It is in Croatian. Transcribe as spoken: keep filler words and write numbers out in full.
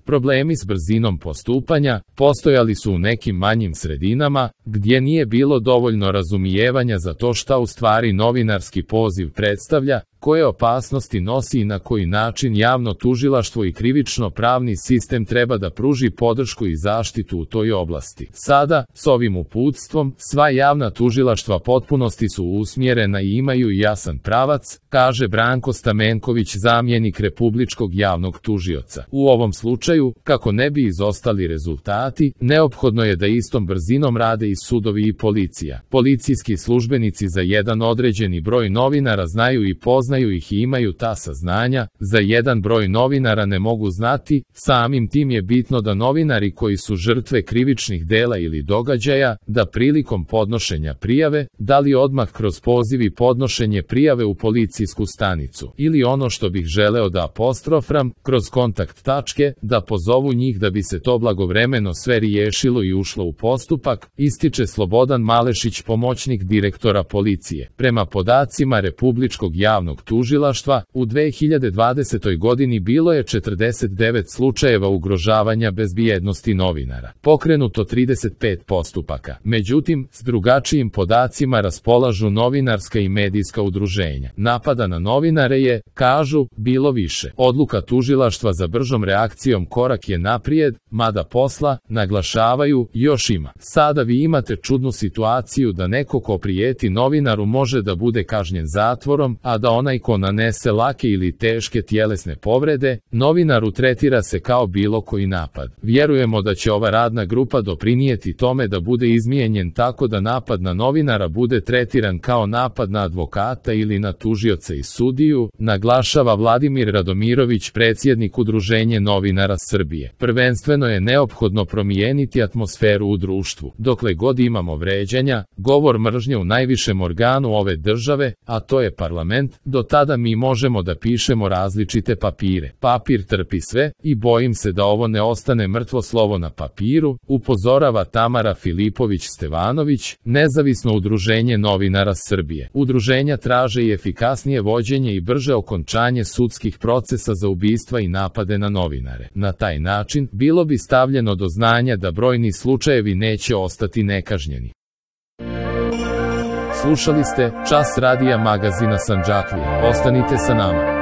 Problemi s brzinom postupanja postojali su u nekim manjim sredinama, gdje nije bilo dovoljno razumijevanja za to šta u stvari novinarski poziv predstavlja, koje opasnosti nosi i na koji način javno tužilaštvo i krivično-pravni sistem treba da pruži podršku i zaštitu u toj oblasti. Sada, s ovim uputstvom, sva javna tužilaštva potpunosti su usmjerena i imaju jasan pravac, kaže Branko Stamenković, zamjenik Republičkog javnog tužioca. U ovom slučaju, kako ne bi izostali rezultati, neophodno je da istom brzinom rade i sudovi i policija. Policijski službenici za jedan određeni broj novinara znaju i poznaju znaju ih i imaju ta saznanja, za jedan broj novinara ne mogu znati, samim tim je bitno da novinari koji su žrtve krivičnih dela ili događaja, da prilikom podnošenja prijave, da li odmah kroz poziv i podnošenje prijave u policijsku stanicu, ili ono što bih želeo da apostrofram, kroz kontakt tačke, da pozovu njih da bi se to blagovremeno sve riješilo i ušlo u postupak, ističe Slobodan Malešić, pomoćnik direktora policije. Prema podacima Republičkog javnog tužilaštva, u dve hiljade dvadesetoj godini bilo je četrdeset devet slučajeva ugrožavanja bezbjednosti novinara. Pokrenuto trideset pet postupaka. Međutim, s drugačijim podacima raspolažu novinarska i medijska udruženja. Napada na novinare je, kažu, bilo više. Odluka tužilaštva za bržom reakcijom korak je naprijed, mada posla, naglašavaju, još ima. Sada vi imate čudnu situaciju da neko ko prijeti novinaru može da bude kažnjen zatvorom, a da onaj ko nanese lake ili teške tjelesne povrede, novinaru tretira se kao bilo koji napad. Vjerujemo da će ova radna grupa doprinijeti tome da bude izmijenjen tako da napad na novinara bude tretiran kao napad na advokata ili na tužioca i sudiju, naglašava Vladimir Radomirović, predsjednik Udruženja novinara Srbije. Prvenstveno je neophodno promijeniti atmosferu u društvu. Dokle god imamo vređanja, govor mržnje u najvišem organu ove države, a to je parlament, do tada mi možemo da pišemo različite papire. Papir trpi sve i bojim se da ovo ne ostane mrtvo slovo na papiru, upozorava Tamara Filipović-Stevanović, nezavisno udruženje novinara Srbije. Udruženja traže i efikasnije vođenje i brže okončanje sudskih procesa za ubistva i napade na novinare. Na taj način, bilo bi stavljeno do znanja da brojni slučajevi neće ostati nekažnjeni. Slušali ste Čas radija magazina Sandžaklija. Ostanite sa nama.